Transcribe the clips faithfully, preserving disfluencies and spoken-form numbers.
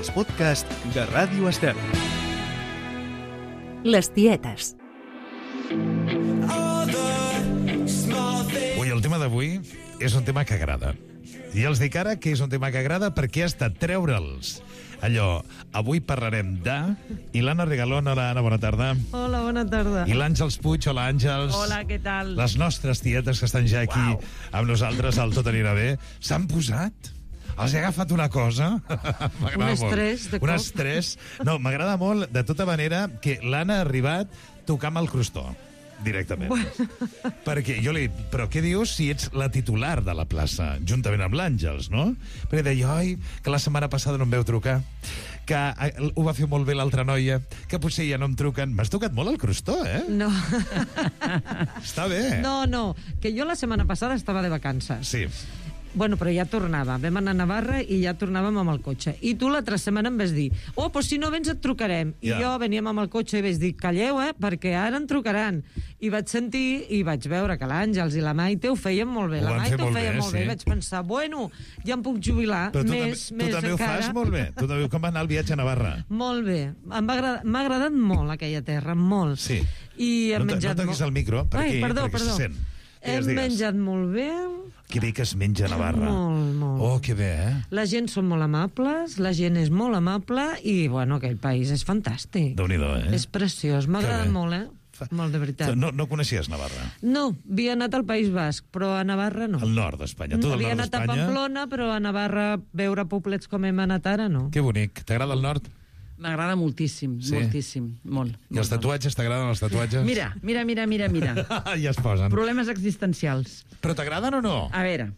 als podcasts de Ràdio Estel. Les tietes. Ui, el tema d'avui és un tema que agrada. I els dic ara que és un tema que agrada perquè ha estat treure'ls. Allò, avui parlarem de... I l'Anna Regalón, hola Anna, bona tarda. Hola, bona tarda. I l'Àngels Puig, hola Àngels. Hola, què tal? Les nostres tietes que estan ja aquí wow. amb nosaltres al Tot anirà bé, s'han posat... Els he agafat una cosa... Un estrès, de cop. Un estrès. No, m'agrada molt, de tota manera, que l'Anna ha arribat tocant el crostó, directament. Bueno. Perquè jo li dic, però què dius si ets la titular de la plaça, juntament amb l'Àngels, no? Perquè deia, oi, que la setmana passada no em veu trucar, que ho va fer molt bé l'altra noia, que potser ja no em truquen. M'has tocat molt el crostó, eh? No. Està bé. No, no, que jo la setmana passada estava de vacances. Sí. Bueno, però ja tornava. Vam anar a Navarra i ja tornàvem amb el cotxe. I tu l'altra setmana em vas dir, oh, doncs si no vens et trucarem. I Ja. jo veníem amb el cotxe i vaig dir, calleu, eh, perquè ara en trucaran. I vaig sentir i vaig veure que l'Àngels i la Maite ho feien molt bé. Ho La van Maite fer ho molt feia bé, molt bé. sí. I vaig pensar, bueno, ja em puc jubilar. Però tu, més, també, més tu també encara. ho fas molt bé. Tu també, com va anar el viatge a Navarra? Molt bé. Em va agradar, m'ha agradat molt aquella terra, molt. Sí. I hem No, menjat no toquis molt... el micro, per Ai, aquí, perdó, perquè perdó. se sent. Digues, Hem digues. menjat molt bé. Que bé que es menja a Navarra. Molt, molt. Oh, que bé, eh? La gent són molt amables, la gent és molt amable i, bueno, aquell país és fantàstic. Déu-n'hi-do, eh? És preciós, m'ha Que agradat bé. molt, eh? Molt, de veritat. No, no coneixies Navarra? No, havia anat al País Basc, però a Navarra no. Al nord d'Espanya. Tu del Havia nord anat a d'Espanya? Pamplona, però a Navarra veure poblets com hem anat ara, no. Que bonic. T'agrada el nord? M'agrada moltíssim, Sí? moltíssim, molt. I els molt, tatuatges, t'agraden els tatuatges? molt. Mira, mira, mira, mira, mira. ja es posen. Problemes existencials. Però t'agraden o no? A veure,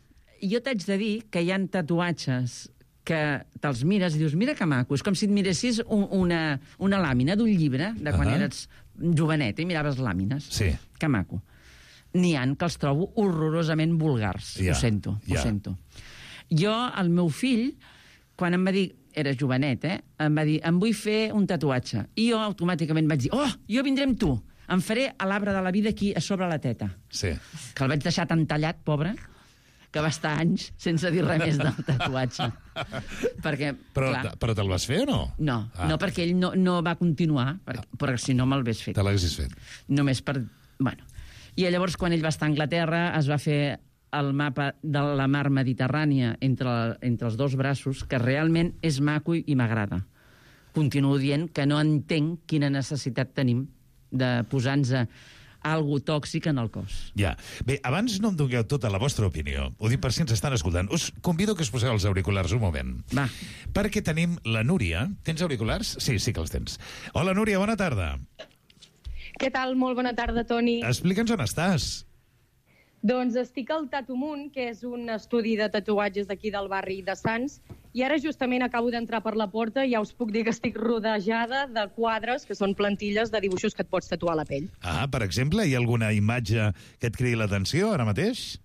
jo t'haig de dir que hi ha tatuatges que te'ls mires i dius, mira que maco, és com si et miressis un, una, una làmina d'un llibre de quan Ahà. eres jovenet i miraves làmines. Sí. Que maco. N'hi ha que els trobo horrorosament vulgars. Ja, Ho sento, ja. ho sento. Jo, el meu fill, quan em va dir, era jovenet, eh? Em va dir, em vull fer un tatuatge. I jo automàticament vaig dir, oh, jo vindré amb tu. Em faré a l'arbre de la vida aquí a sobre la teta. Sí. Que el vaig deixar tan tallat, pobre, que va estar anys sense dir res més del tatuatge. Perquè, Però, clar, però te'l vas fer o no? no, Ah. no perquè ell no, no va continuar, perquè, perquè si no me'l hagués fet. Te l'haguessis fet. Només per... Bueno. I llavors, quan ell va estar a Anglaterra, es va fer el mapa de la mar Mediterrània entre, entre els dos braços, que realment és maco i m'agrada. Continuo dient que no entenc quina necessitat tenim de posar-nos algo tòxic en el cos. Ja. Bé, abans no em dongueu tota la vostra opinió. Ho dic per si ens estan escoltant. Us convido que us poseu els auriculars un moment. Va. Perquè tenim la Núria. Tens auriculars? Sí, sí que els tens. Hola, Núria, bona tarda. Què tal? Molt bona tarda, Toni. Explica'ns on estàs. Doncs estic al Tatumunt, que és un estudi de tatuatges d'aquí del barri de Sants, i ara justament acabo d'entrar per la porta i ja us puc dir que estic rodejada de quadres, que són plantilles de dibuixos que et pots tatuar a la pell. Ah, per exemple, hi ha alguna imatge que et cridi l'atenció ara mateix?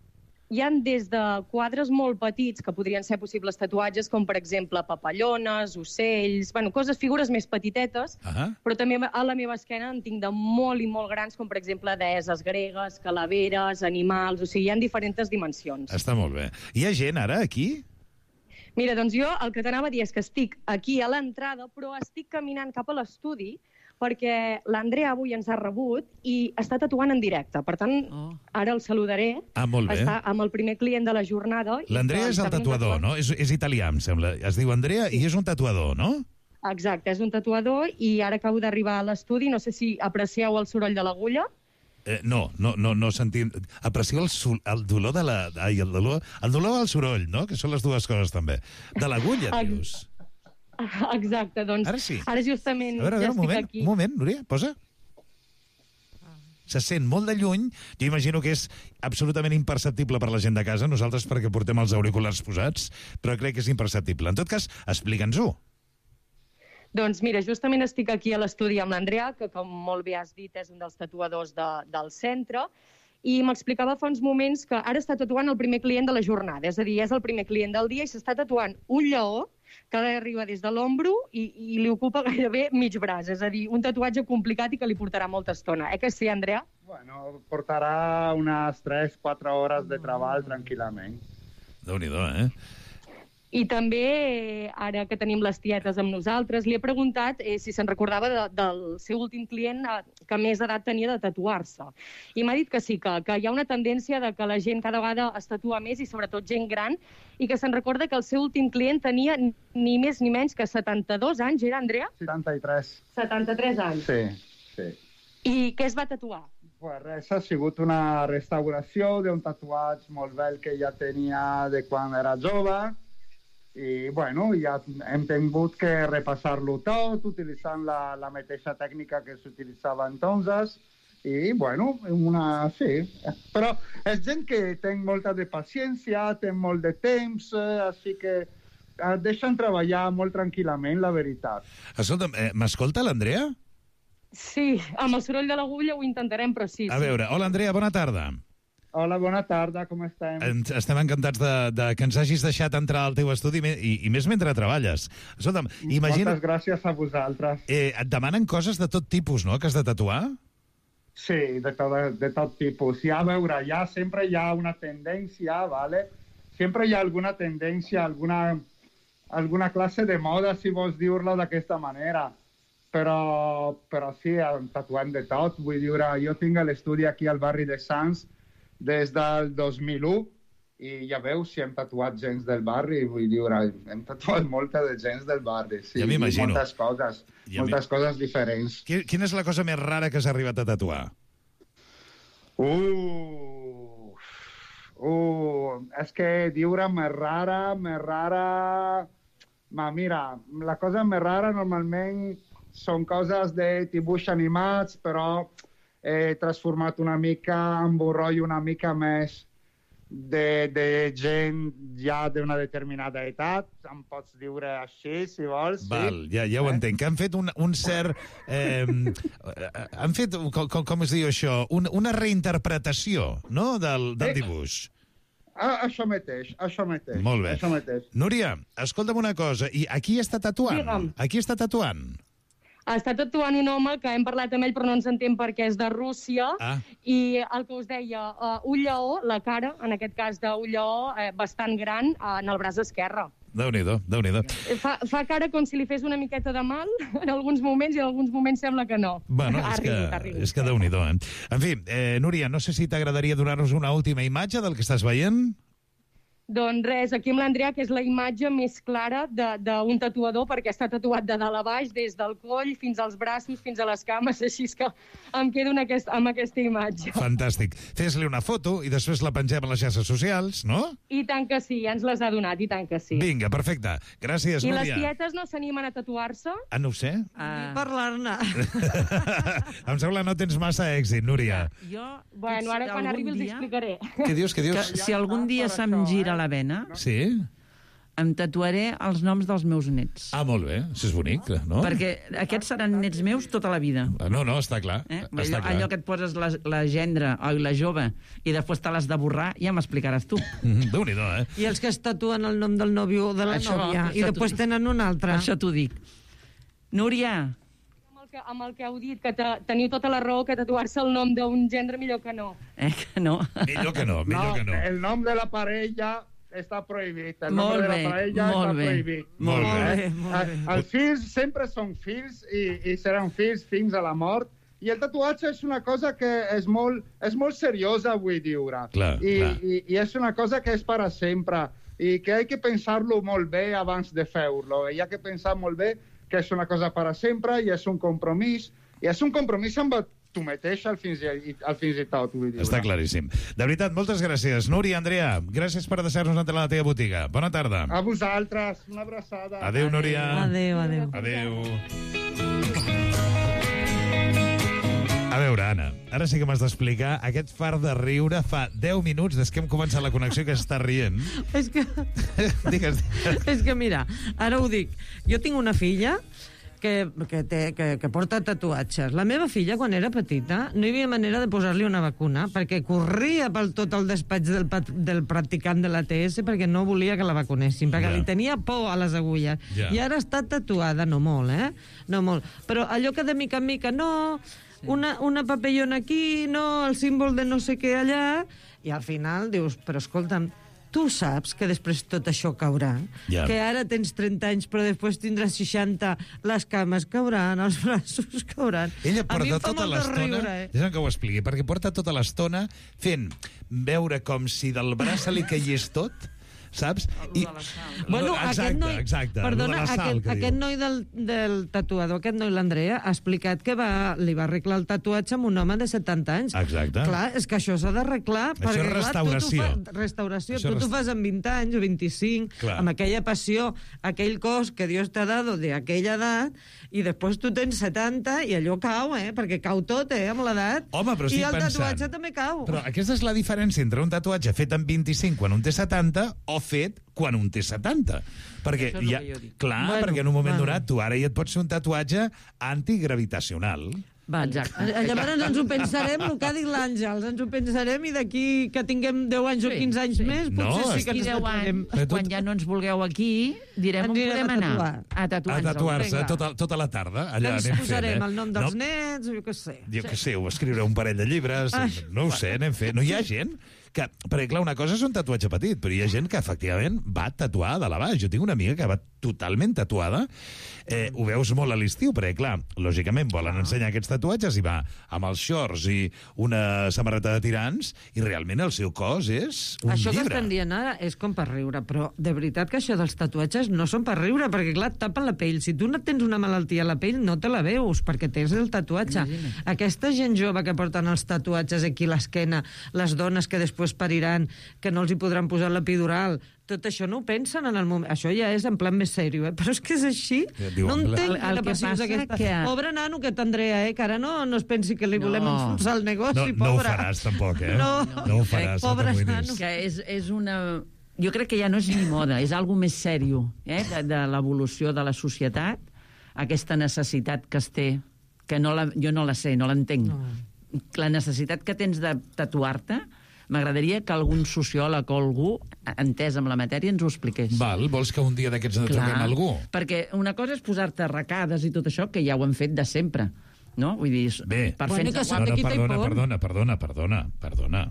Hi han des de quadres molt petits, que podrien ser possibles tatuatges, com per exemple papallones, ocells, bueno, coses, figures més petitetes, Ah. però també a la meva esquena en tinc de molt i molt grans, com per exemple deeses gregues, calaveres, animals, o sigui, hi ha diferents dimensions. Està molt bé. Hi ha gent ara aquí? Mira, doncs jo el que t'anava a dir és que estic aquí a l'entrada, però estic caminant cap a l'estudi perquè l'Andrea avui ens ha rebut i està tatuant en directe. Per tant, Oh. ara el saludaré. Ah, molt bé. Està amb el primer client de la jornada. i L'Andrea que és el està fent un tatuador, tatuatge. no? És, és italià, em sembla. Es diu Andrea i és un tatuador, no? Exacte, és un tatuador i ara acabo d'arribar a l'estudi. No sé si aprecieu el soroll de l'agulla. Eh, no, no, no, no sentim... Aprecieu el, sol, el dolor de la... Ai, el dolor... El dolor al soroll, no? Que són les dues coses, també. De l'agulla, Ex- dius. Exacte, doncs Ara sí. ara justament A veure, a ja veure, un estic moment, aquí. un moment, Núria, posa. Se sent molt de lluny. Jo imagino que és absolutament imperceptible per la gent de casa, nosaltres perquè portem els auriculars posats, però crec que és imperceptible. En tot cas, explica'ns-ho. Doncs mira, justament estic aquí a l'estudi amb l'Andrea, que com molt bé has dit és un dels tatuadors de, del centre, i m'explicava fa uns moments que ara està tatuant el primer client de la jornada, és a dir, és el primer client del dia i s'està tatuant un lleó que arriba des de l'ombro i, i li ocupa gairebé mig braç, és a dir, un tatuatge complicat i que li portarà molta estona. Eh que sí, Andrea? Bueno, portarà unes tres quatre hores de treball tranquil·lament. Déu-n'hi-do, eh? I també, ara que tenim les tietes amb nosaltres, li he preguntat eh, si se'n recordava de, del seu últim client eh, que més edat tenia de tatuar-se. I m'ha dit que sí, que, que hi ha una tendència de que la gent cada vegada es tatua més, i sobretot gent gran, i que se'n recorda que el seu últim client tenia ni més ni menys que setanta-dos anys, era, Andrea? setanta-tres. setanta-tres anys. Sí, sí. I què es va tatuar? Pues res, ha sigut una restauració d'un tatuatge molt vell que ja tenia de quan era jove, i bueno, ja hem tingut que repassar-lo tot, utilitzant la, la mateixa tècnica que s'utilitzava entonces, i bueno, una, sí. Però és gent que té molta de paciència, té molt de temps, eh, així que eh, deixen treballar molt tranquil·lament, la veritat. Escolta'm, eh, m'escolta l'Andrea? Sí, amb el soroll de l'agulla ho intentarem, però sí. A sí. veure, hola Andrea, bona tarda. Hola, bona tarda, com estem? Ens- Estem encantats de, de que ens hagis deixat entrar al teu estudi me- i, i més mentre treballes. Escolta'm, imagina... Moltes gràcies a vosaltres. Eh, et demanen coses de tot tipus, no?, que has de tatuar? Sí, de tot, de tot tipus. Ja, a veure, ja sempre hi ha una tendència, ¿vale? Sempre hi ha alguna tendència, alguna, alguna classe de moda, si vols dir-la d'aquesta manera. Però, però sí, tatuem de tot. Vull dir, jo tinc l'estudi aquí al barri de Sants des del dos mil u, i ja veus si hem tatuat gens del barri, vull dir, hem tatuat molta de gens del barri, sí, Ja m'imagino. i moltes coses, Ja moltes coses diferents. Qui- Quina és la cosa més rara que has arribat a tatuar? Uh, uh, és que diure més rara, més rara... Ma, mira, la cosa més rara normalment són coses de dibuix animats, però he transformat una mica en un rotllo una mica més de, de gent ja d'una determinada edat. Em pots diure així, si vols. Val, sí? ja, ja ho entenc. Que han fet un, un cert... Eh, han fet, com, com, com es diu això? Un, una reinterpretació, no?, del, del Sí. dibuix. Ah, això mateix, això mateix. Molt bé. Això mateix. Núria, escolta'm una cosa. I a qui està tatuant? Digue'm. A qui està tatuant? Està tatuant un home que hem parlat amb ell però no ens entén perquè és de Rússia, Ah. i el que us deia, uh, un lleó, la cara, en aquest cas d'un lleó eh, bastant gran, uh, en el braç esquerre. Déu-n'hi-do, Déu-n'hi-do. Eh, Fa, fa cara com si li fes una miqueta de mal en alguns moments, i en alguns moments sembla que no. Bueno, Ha és que, rigut, ha rigut. és que Déu-n'hi-do, eh? En fi, eh, Núria, no sé si t'agradaria donar-nos una última imatge del que estàs veient? Doncs res, aquí amb l'Andrea, que és la imatge més clara de- d'un tatuador, perquè està tatuat de dalt a baix, des del coll fins als braços, fins a les cames, així és que em quedo en aquest, amb aquesta imatge. Fantàstic. Fes-li una foto i després la pengem a les xarxes socials, no? I tant que sí, ja ens les ha donat, i tant que sí. Vinga, perfecte. Gràcies, I les Núria. tietes no s'animen a tatuar-se? Ah, no ho sé. Uh, Parlar-ne. Em sembla que no tens massa èxit, Núria. jo, Bueno, ara quan algun arribi els dia, explicaré. Què dius, què Que dius? si algun dia per se'm això, gira eh? la vena, Sí? em tatuaré els noms dels meus nets. Ah, molt bé. Això és bonic, no? Perquè aquests seran nets meus tota la vida. No, no, està clar. Eh? Està Allò, clar. allò que et poses la, la gendre o la jove i després te l'has de borrar, ja m'explicaràs tu. Mhm, Déu-n'hi-do, eh? I els que es tatuen el nom del nòvio o de la Això, nòvia, i això després tu- tenen un altre. Per això t'ho dic. Núria, Amb el que, amb el que heu dit, que te, teniu tota la raó, que tatuar-se el nom d'un gendre millor que no. eh, que no. Millor que no, millor que no. el nom de la parella està prohibit. El Molt nom de bé, la parella molt està bé. prohibit. Molt Molt bé. bé, molt bé. Els fills sempre són fills i, i seran fills fins a la mort. I el tatuatge és una cosa que és molt, és molt seriosa, vull dir. Clar, I, clar. I, I és una cosa que és per a sempre. I que hay que pensar-lo molt bé abans de fer-lo. Hi ha que pensar molt bé que és una cosa per a sempre i és un compromís. I és un compromís amb tu mateix al fins i, al fins i tot, vull dir. Està claríssim. De veritat, moltes gràcies. Núria, Andrea, gràcies per deixar-nos entrar a la teva botiga. Bona tarda. A vosaltres, una abraçada. Adéu, Núria. Adéu, adéu. Adéu. A veure, Anna, ara sí que m'has d'explicar aquest far de riure fa deu minuts des que hem començat la connexió que està rient. És que, Digues, és que mira, ara ho dic. Jo tinc una filla que, que, té, que, que porta tatuatges. La meva filla, quan era petita, no hi havia manera de posar-li una vacuna perquè corria pel tot el despatx del, pat- del practicant de l'A T S perquè no volia que la vacunessin, perquè Ja. li tenia por a les agulles. Ja. I ara està tatuada, no molt, eh? No molt. Però allò que de mica en mica, no, una, una papellona aquí, no, el símbol de no sé què allà, i al final dius, però escolta'm, tu saps que després tot això caurà, Ja. que ara tens trenta anys però després tindràs seixanta, les cames cauran, els braços cauran. Ella A mi porta em fa tota molta l'estona... riure, eh? Deixa'm que ho expliqui, perquè porta tota l'estona fent veure com si del braç se li caigués tot, saps? I... Bueno, exacte, aquest noi, exacte. perdona, lo de la sal, aquest, que aquest diu. noi del, del tatuador, aquest noi, l'Andrea, ha explicat que va, li va arreglar el tatuatge amb un home de setanta anys. Exacte. Clar, és que això s'ha d'arreglar. Això perquè, és clar, restauració. Tu t'ho fa, restauració. Això Tu t'ho rest- fas amb vint anys o vint-i-cinc, Clar. amb aquella passió, aquell cos que Dios t'ha dado de aquella edat, i després tu tens setanta i allò cau, eh? Perquè cau tot, eh? Amb l'edat. Home, però I estic el pensant... tatuatge també cau. Però aquesta és la diferència entre un tatuatge fet amb vint-i-cinc quan un té setanta o fet quan un té setanta. Perquè, Això és el ja, que jo dic. clar, Bueno, perquè en un moment bueno. donat tu ara ja et pots fer un tatuatge antigravitacional. Vale. Exacte. Eh, Llavors ens ho pensarem, el que ha dit l'Àngels, ens ho pensarem i d'aquí que tinguem deu anys o Sí, quinze anys sí. més, No, potser sí que D'aquí ens deu tatuarem. anys, Però tu- quan ja no ens vulgueu aquí, direm Ens on anirem podem a anar. tatuar. A A tatuar-nos. tatuar-se vinga. tota, tota la tarda. Que Allà ens anem posarem fent, eh? el nom dels no? nets, jo què sé. Jo què sé, o escriure un parell de llibres, Ai. no ho sé, anem fent. No hi ha gent que... Perquè, clar, una cosa és un tatuatge petit, però hi ha gent que, efectivament, va tatuar de la baix. Jo tinc una amiga que va totalment tatuada. Eh, ho veus molt a l'estiu, perquè, clar, lògicament volen ensenyar aquests tatuatges i va amb els shorts i una samarreta de tirants i realment el seu cos és un Això que llibre. estan dient ara és com per riure, però de veritat que això dels tatuatges no són per riure, perquè clar, et tapen la pell. Si tu no tens una malaltia a la pell, no te la veus, perquè tens el tatuatge. Imagina't. Aquesta gent jove que porten els tatuatges aquí a l'esquena, les dones que després pariran, que no els hi podran posar l'epidural, tot això no ho pensen en el moment. Això ja és en plan més sèrio, eh? Però és que és així. Ja et diu, no en plan- entenc El- el quina que passió és passa aquesta. que- Pobre nano que t'Andrea, eh? Que ara no, no es pensi que li volem No. enfonsar el negoci, No, no ho pobre. faràs, tampoc, eh? No. no ho faràs, no Pobre t'amoïnis. nano. Que és, és una... Jo crec que ja no és ni moda, és algo més sèrio, eh? de, de l'evolució de la societat, aquesta necessitat que es té, que no la, jo no la sé, no l'entenc. No. La necessitat que tens de tatuar-te, m'agradaria que algun sociòleg o algú, entès amb la matèria, ens ho expliqués. Val, vols que un dia d'aquests en truquem a algú? Perquè una cosa és posar-te arracades i tot això, que ja ho hem fet de sempre, no? Vull dir, Bé. per Bueno, fer-nos que No, sap no, de qui té perdona, por. perdona, perdona, perdona, perdona.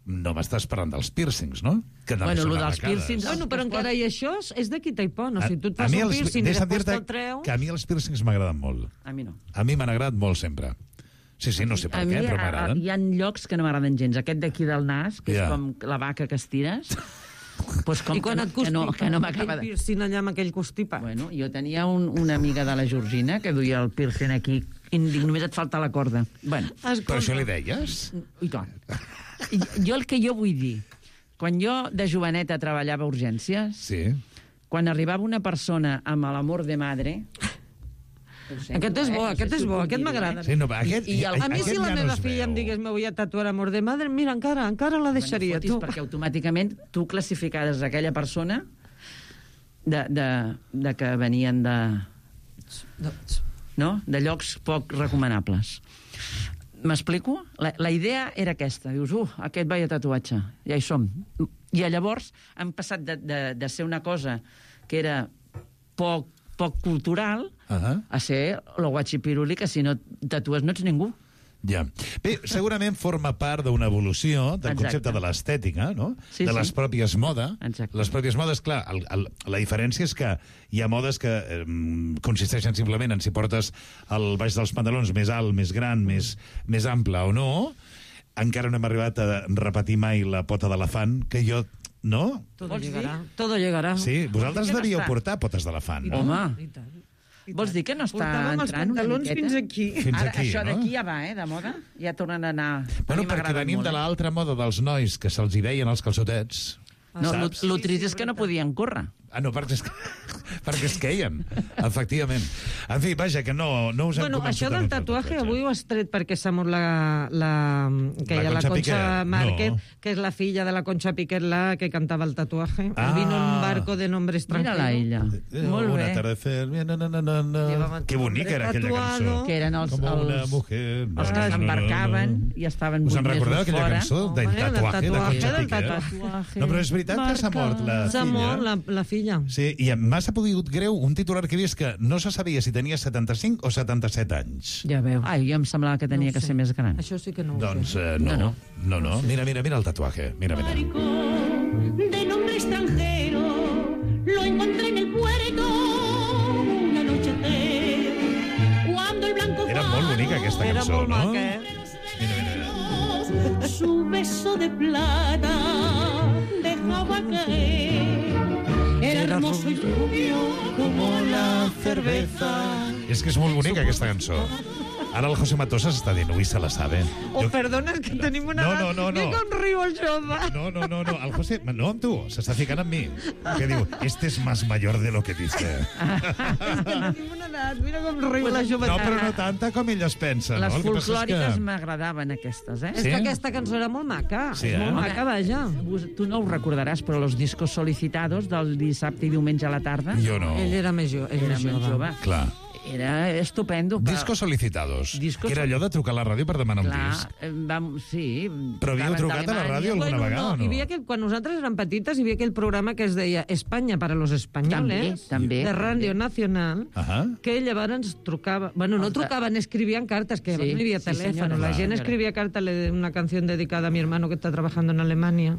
No m'estàs parlant dels pírcings, no? Que no Bueno, són lo dels arracades. pírcings- Bueno, però encara i això és de qui té por. No? Si tu et A- a fas mi un els- piercing i deixa'm després dir-te te'l treu... que a mi els pírcings m'agraden molt. A mi no. A mi m'han agradat molt sempre. Sí, sí, no sé per A què, mi però a- a- m'agraden. hi ha llocs que no m'agraden gens. Aquest d'aquí del nas, que Ja. és com la vaca que estires, pues com I quan que, et no- que constipa, no, que no m'acaba aquell de... piercing allà amb aquell constipat. Bueno, jo tenia un, una amiga de la Georgina que duia el piercing aquí i dic, només et falta la corda. Bueno, Per això li deies? i tant. I jo el que jo vull dir, quan jo de joveneta treballava a urgències, Sí. quan arribava una persona amb l'amor de madre... ho sento, Aquest és bo, eh? No sé aquest si és ho bo, puc aquest dir, m'agrada. eh? Sí, no, aquest, I- i el- A mi, aquest si la ja no meva es filla veu. em digués me voy a tatuar amor de madre, mira, encara, encara la deixaria, Bueno, tu. fotis, perquè automàticament tu classificaves aquella persona de, de, de que venien de, no? de llocs poc recomanables. M'explico? La, la idea era aquesta. Dius, uh, aquest veia tatuatge, ja hi som. I llavors han passat de, de, de ser una cosa que era poc, poc cultural Uh-huh. a ser lo guachipiruli, que si no tatues no ets ningú. Ja. Bé, segurament forma part d'una evolució del Exacte. concepte de l'estètica, no? Sí, de sí. les pròpies moda. Exacte. Les pròpies modes, clar, el, el, la diferència és que hi ha modes que eh, consisteixen simplement en si portes el baix dels pantalons més alt, més gran, més, més ample o no. Encara no hem arribat a repetir mai la pota d'elefant, que jo... No? Todo Vols dir? llegarà. Todo llegarà. Sí, vosaltres que no devíeu està. portar potes d'elefant, no? Home, I tant. I vols tant. dir que no està Portàvem els entrant una pantalons miqueta? fins aquí. Fins Ara, aquí, això no? d'aquí ja va, eh, de moda. Ja tornen a anar... A Bueno, mi perquè m'agraden venim molt, de eh? l'altra moda dels nois que se'ls hi veien els calçotets. No, lo, saps? lo Sí, trist sí, és que no veritat. podien córrer. Ah, no, perquè es, perquè es queien, efectivament. En fi, vaja, que no, no us hem Bueno, convençut això de del no fer el tatuaje tatuatge. avui ho has tret perquè s'ha mort la, la, que La hi ha la Concha Concha Piquer. Márquez, No. que és la filla de la Concha Piquer, la que cantava el tatuaje. Ah. Vino en un barco de nombre extranjero. Mira-la, ella. Eh, Molt un bé. atardecer, na, na, na, na, na. Llevaban Que bonica era aquella tatuado. cançó. Que eren els, Como una els, mujer. els que na, na, na, s'embarcaven na. i estaven Us vuit en recordeu mesos aquella fora. cançó del Home, del tatuaje de tatuaje, Concha del Piquer? tatuaje. No, però és veritat que s'ha mort la S'ha filla. mort la, la filla. Sí, i m'ha sabut greu un titular que he vist que no se sabia si tenia setanta-cinc o setanta-set anys. Ja veus. Ai, jo em semblava que tenia No ho que sé. ser més gran. Això sí que no ho Doncs sé. eh, no, No, no, no. Mira, mira, mira el tatuaje. Mira, mira. de nombre extranjero, lo encontré en el puerto un anochecer, cuando el blanco Era molt bonica aquesta Era cançó, molt no? maca, eh? Mira, mira, mira. su beso de plata dejaba caer, era hermoso y rubio como la cerveza. És que és molt bonica aquesta cançó. Ara el José Matosa s'està dient, ui, se la sabe. Oh, Jo- perdona, és que tenim una... No, edat- no, no, no. Mira com riu el jove. No, no, no, no, el José, no amb tu, s'està ficant amb mi. Que diu, este es más mayor de lo que dice. És que tenim una edat, mira com riu la No, jovetat. però no tanta com ell es pensa, Les no? El que passa és folclòriques que- m'agradaven, aquestes, eh? És Sí? que aquesta cançó era molt maca. Sí, és molt eh? maca, vaja. Us- Tu no ho recordaràs, però los discos solicitados del dissabte i diumenge a la tarda Jo no. Ell era més, jo, ell era més més jove. jove. Clar. Era estupendo. Però, Discos solicitados. Discos Que era allò de trucar a la ràdio per demanar un clar, disc. eh, vam, sí. Però havíeu trucaven trucat a la d'Alemanya. ràdio alguna Bueno, vegada o no? Hi havia que, quan nosaltres érem petites, hi havia aquell programa que es deia Espanya para los españoles, També, també. de Ràdio Nacional, Ahà. que llavors trucava... Bueno, no Els de- trucaven, escribien cartes, que Sí, llavors no hi havia sí, teléfono. senyora, la clar, gent senyora. escrivia carta, le una canción dedicada a mi hermano que está trabajando en Alemania.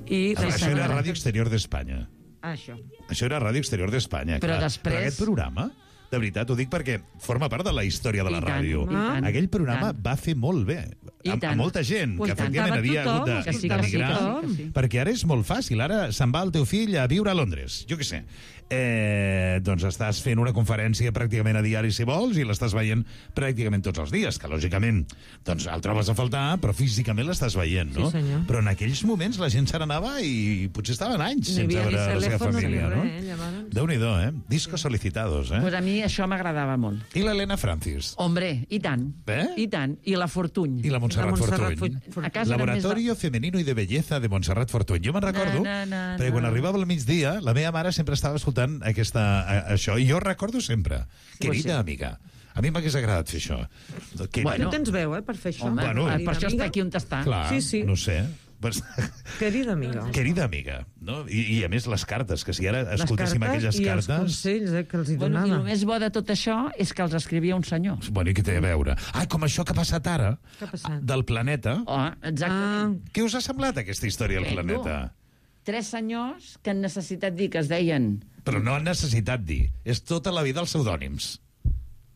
I... Ah, Això era senyora. Ràdio Exterior d'Espanya. Ah, això. Això era Ràdio Exterior d'Espanya. Però clar. després- Però aquest programa, de veritat, ho dic perquè forma part de la història de la I tant, ràdio. i tant, Aquell i programa tant. va fer molt bé. I A, a tant. molta gent Pues que efectivament cantava havia tothom, hagut que sí, que sí, d'emigrar. que sí, que sí. Perquè ara és molt fàcil. Ara se'n va el teu fill a viure a Londres. Jo què sé. Eh, doncs estàs fent una conferència pràcticament a diari, si vols, i l'estàs veient pràcticament tots els dies, que lògicament doncs, el trobes a faltar, però físicament l'estàs veient, no? Sí, senyor. Però en aquells moments la gent se n'anava i potser estaven anys No hi sense havia ni veure la seva telèfon ni família, res, no? eh, llavors. Déu-n'hi-do, eh? Discos solicitados, eh? Pues a mi això m'agradava molt. I l'Helena Francis. Hombre, i tant. Eh? I tant. I la Fortuny. I la Montserrat, La Montserrat Fortuny. Fortuny. A casa eren més Laboratorio Femenino y de Belleza de Montserrat Fortuny. Jo me'n recordo, Na, na, na, perquè quan na. arribava al migdia, la meva mare sempre estava escoltant aquesta, a, això, i jo recordo sempre. Querida sí. amiga, a mi m'hagués agradat fer això. Que, Bueno. Tu tens veu, eh, per fer això. Home, Bueno. per això està Amiga. aquí on està. clar, Sí, sí. no sé. Pues, Querida amiga. querida amiga, no? I, I a més les cartes, que si ara escoltéssim les cartes aquelles i els cartes... consells eh, que els hi Bueno, I donava. el més bo de tot això és que els escrivia un senyor. Bueno, i què té a veure? Ah, com això que ha passat ara, Què ha passat? del planeta. Oh, exactament. Ah, Què us ha semblat aquesta història del Què, planeta? Tres senyors que han necessitat dir que es deien... Però no han necessitat dir. És tota la vida els pseudònims.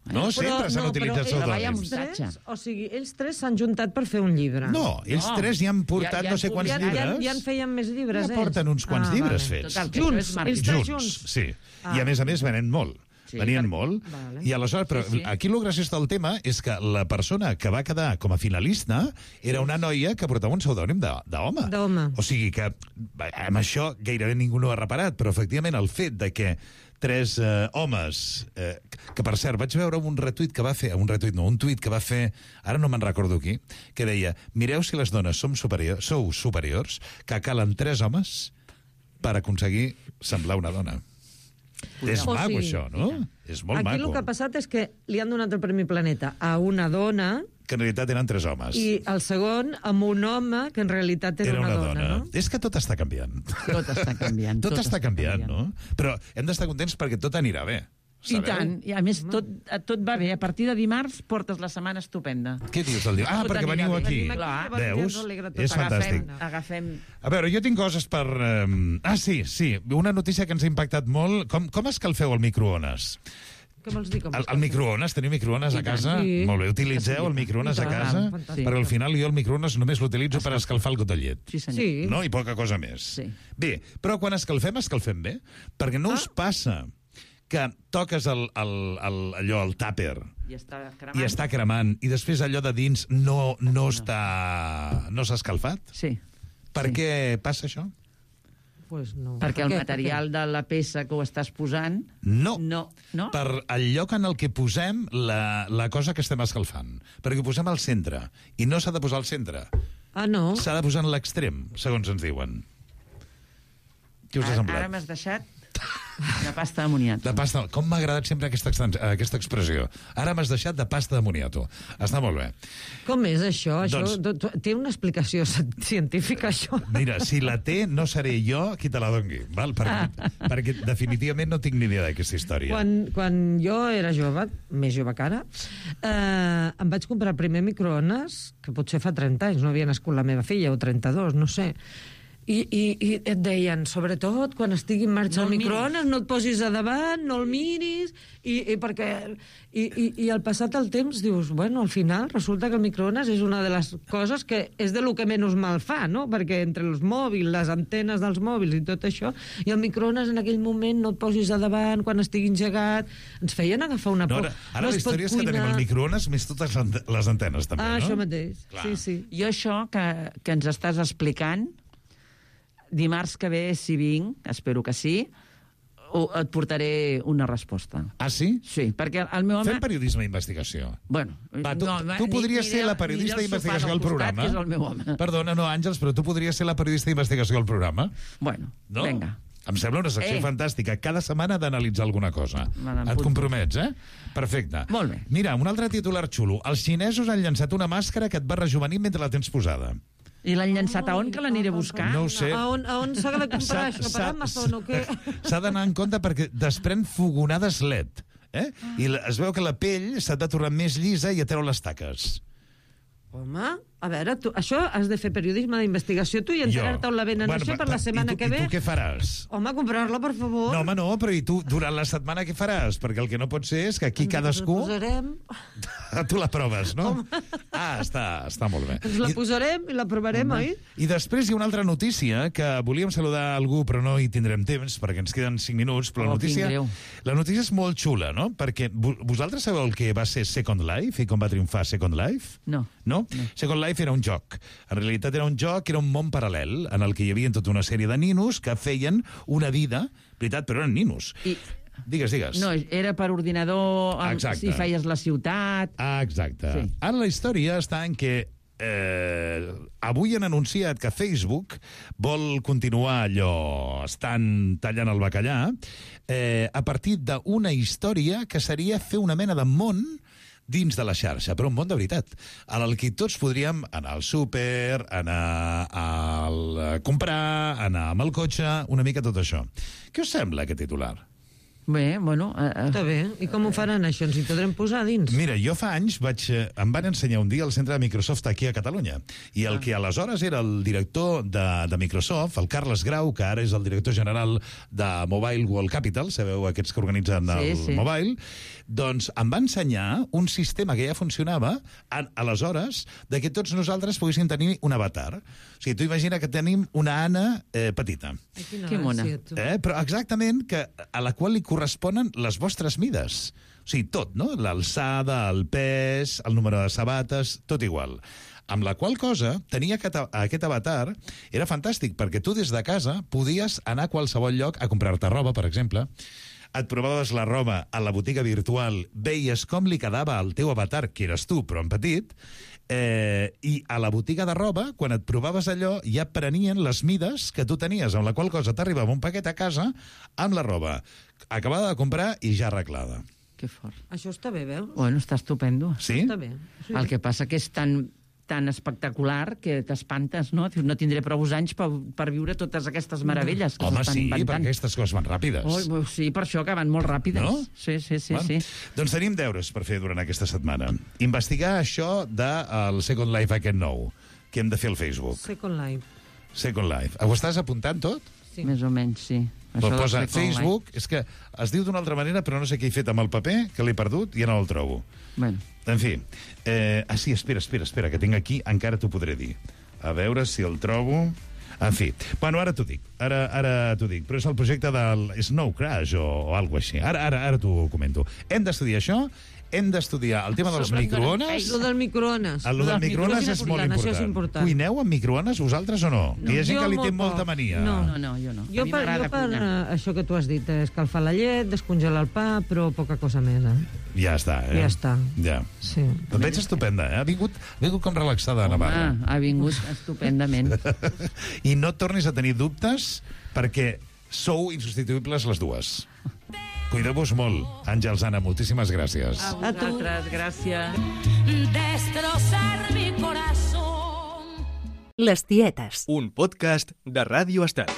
No? Sempre s'han no, utilitzat però vaya pseudònims. un- ells tres, o sigui, ells tres s'han juntat per fer un llibre. No, ells No. tres ja han portat Ja- ja no sé han quants ja, publicat. ja, llibres. ja en feien més llibres, Ja ells. porten uns quants Ah, llibres vale. fets. Total, que Junts, això és marketing. ells tres Junts, junts. sí. Ah. I a més a més venen molt. Sí, Venien per- molt. Vale. I aleshores, però Sí, sí. aquí el graciós del tema és que la persona que va quedar com a finalista era una noia que portava un pseudònim de- d'home. D'home. O sigui que bé, amb això gairebé ningú no ho ha reparat, però efectivament el fet de que tres eh, homes, eh, que per cert vaig veure un retuit que va fer, un retuit no, un tuit que va fer, ara no me'n recordo qui, que deia, mireu si les dones som superior, sou superiors, que calen tres homes per aconseguir semblar una dona. És O maco, sigui, això, no? És molt Aquí maco. el que ha passat és que li han donat el Premi Planeta a una dona Que en realitat eren tres homes. i el segon amb un home que en realitat era, Era una dona. no? És que tot està canviant. Tot està canviant. Tot, està canviant, no? Però hem d'estar contents perquè tot anirà bé. I Sabeu? tant. I a més, tot, tot va bé. A partir de dimarts portes la setmana estupenda. Què dius del dia? Ah, Tot perquè anirà veniu bé. aquí. Venim aquí, Clar. llavors ja Veus? ens alegra tot. És fantàstic. Agafem, agafem... A veure, jo tinc coses per... Eh... Ah, sí, sí. Una notícia que ens ha impactat molt. Com, com escalfeu el microones? Què vols dir? Com El, es el microones, teniu microones a I tant. casa? Sí. Molt bé, utilitzeu el microones I a tant. casa? Fantàstic. Perquè al final jo el microones només l'utilitzo per escalfar el got de llet. Sí, senyor. Sí. No? I poca cosa més. Sí. Bé, però quan escalfem, escalfem bé. Perquè no us passa que toques el, el, el, allò, el tàper, I està cremant. i està cremant, i després allò de dins no, no està... no s'ha escalfat? Sí. Per Sí. què passa això? Pues no. Perquè el Per què? material de la peça que ho estàs posant... No. No. No? Per el lloc en el que posem la, la cosa que estem escalfant. Perquè ho posem al centre. I no s'ha de posar al centre. Ah, no? S'ha de posar en l'extrem, segons ens diuen. Què us ha Ara, semblat? ara m'has deixat de pasta d'amoniat. De pasta... Com m'ha agradat sempre aquesta, extens- aquesta expressió. Ara m'has deixat de pasta de moniato. Està molt bé. Com és això? Això Doncs- do- do- té una explicació científica, això? Mira, si la té, no seré jo qui te la dongui, val? Perquè, perquè definitivament no tinc ni idea d'aquesta història. Quan, quan jo era jove, més jove que ara, eh, em vaig comprar el primer microones, que potser fa trenta anys, no havia nascut la meva filla, o trenta-dos, no sé. I, i, i et deien, sobretot, quan estigui en marxa No el el microones, no et posis a davant, no el miris, i, i perquè... I, i, I al passat el temps dius, bueno, al final resulta que el microones és una de les coses que és de lo que menys mal fa, no? Perquè entre els mòbils, les antenes dels mòbils i tot això, i el microones en aquell moment no et posis a davant quan estigui engegat, ens feien agafar una No, por. ara ara no la es pot història és que tenim cuinar. el microones més totes les ante- les antenes, també, Ah, no? això mateix, Clar. sí, sí. Jo això que, que ens estàs explicant, dimarts que ve, si vinc, espero que sí, o et portaré una resposta. Ah, sí? Sí, perquè el meu home... Fem periodisme d'investigació. Bueno, Va, tu, no, tu ni- podries ni ser del- la ni periodista del d'investigació sofà al del costat, programa. que és el meu home. Perdona, no, Àngels, però tu podries ser la periodista d'investigació al programa. Bueno, No? vinga. Em sembla una secció Eh. fantàstica. Cada setmana d'analitzar alguna cosa. Me n'apunto. Et compromets, eh? Perfecte. Molt bé. Mira, un altre titular xulo. Els xinesos han llançat una màscara que et va rejuvenir mentre la tens posada. I l'han llançat a on, que l'aniré a buscar? No ho sé. A on, a on s'ha de comprar això? Per S'ha- Amazon o què? S'ha d'anar en compte perquè desprèn fogonades L E D. Eh? I la- es veu que la pell s'ha de tornar més llisa i a treure les taques. Home, a veure, tu, això has de fer periodisme d'investigació tu i enterar-te on la venen Bueno, això per la i setmana tu, que ve. I tu què faràs? Home, comprar-la, per favor. No, home, no, però i tu durant la setmana què faràs? Perquè el que no pot ser és que aquí Ens cadascú... la posarem, Tu la proves, no? Ah, està, està molt bé. ens la I- posarem i la provarem, oi? I després hi ha una altra notícia que volíem saludar algú, però no hi tindrem temps, perquè ens queden cinc minuts, però la Oh, quin notícia, greu. la notícia és molt xula, no? Perquè vo- vosaltres sabeu el que va ser Second Life i com va triomfar Second Life? No. No? no? Second Life era un joc. En realitat era un joc, era un món paral·lel, en el que hi havia tota una sèrie de ninos que feien una vida, veritat, però eren ninos. I... Digues, digues. No, era per ordinador, el- Exacte. si feies la ciutat... Ah, exacte. Sí. Ara la història està en que eh, avui han anunciat que Facebook vol continuar allò, estan tallant el bacallà, eh, a partir d'una història que seria fer una mena de món dins de la xarxa, però un món de veritat, en el que tots podríem anar al súper, anar a comprar, anar amb el cotxe, una mica tot això. Què us sembla, aquest titular? Bé, bueno... Eh, eh, Està bé. I com ho faran, això? Ens hi podrem posar dins? Mira, jo fa anys vaig, eh, em van ensenyar un dia al centre de Microsoft aquí a Catalunya, i el que aleshores era el director de, de Microsoft, el Carles Grau, que ara és el director general de Mobile World Capital, sabeu aquests que organitzen el Sí, sí. Mobile, doncs em va ensenyar un sistema que ja funcionava a, aleshores de que tots nosaltres poguéssim tenir un avatar. O sigui, tu imagina que tenim una Anna eh, petita, Ai, quina Que mona. gràcia, tu. eh? però exactament que, a la qual li corresponen les vostres mides. O sigui, tot, no? L'alçada, el pes, el número de sabates, tot igual. Amb la qual cosa, tenia aquest, aquest avatar, era fantàstic, perquè tu des de casa podies anar a qualsevol lloc a comprar-te roba, per exemple, et provaves la roba a la botiga virtual, veies com li quedava al teu avatar, que eres tu, però en petit, eh, i a la botiga de roba, quan et provaves allò, ja prenien les mides que tu tenies, amb la qual cosa t'arribava un paquet a casa amb la roba acabada de comprar i ja arreglada. Que fort. Això està bé, veus? Bueno, està estupendo. Sí? Està bé. Sí. El que passa que és tan, tan espectacular que t'espantes, no? Dius, no tindré prou anys per, per viure totes aquestes meravelles que Home, s'estan sí, inventant. perquè aquestes coses van ràpides. Oh, sí, per això que van molt ràpides. No? Sí, sí, sí, Bueno, sí. Doncs tenim deures per fer durant aquesta setmana. Investigar això del Second Life aquest nou, que hem de fer al Facebook. Second Life. Second Life. Ho estàs apuntant tot? Sí. Més o menys, sí. Però del posa Second Life. Facebook, és que es diu d'una altra manera, però no sé què he fet amb el paper, que l'he perdut i ja no el trobo. Bueno, En fi, eh, ah, sí, espera, espera, espera, que tinc aquí, encara t'ho podré dir. A veure si el trobo... En fi, bueno, ara t'ho dic, ara, ara t'ho dic, però és el projecte del Snow Crash o, o alguna cosa així. Ara, ara, ara t'ho comento. Hem d'estudiar això, hem d'estudiar el tema dels Sobre em donen microones... Lo del microones. El del microones és molt important, important. això és important. Cuineu amb microones, vosaltres o no? no. Hi ha gent Jo que li té molt molta poc. mania. No. no, no, jo no. Jo a mi per, m'agrada jo per cuinar. uh, això que tu has dit, eh, escalfar la llet, descongelar el pa, però poca cosa més, eh? Ja està, eh? Ja està. Ja. Sí. Et veig estupenda, eh? Ha vingut, ha vingut com relaxada a Navarra. Home, ha vingut estupendament. I no et tornis a tenir dubtes perquè sou insubstituïbles les dues. Cuideu-vos molt. Àngels, Anna, moltíssimes gràcies. A vosaltres, gràcies. Destrozar mi corazón. Les tietes. Un podcast de Ràdio Estat.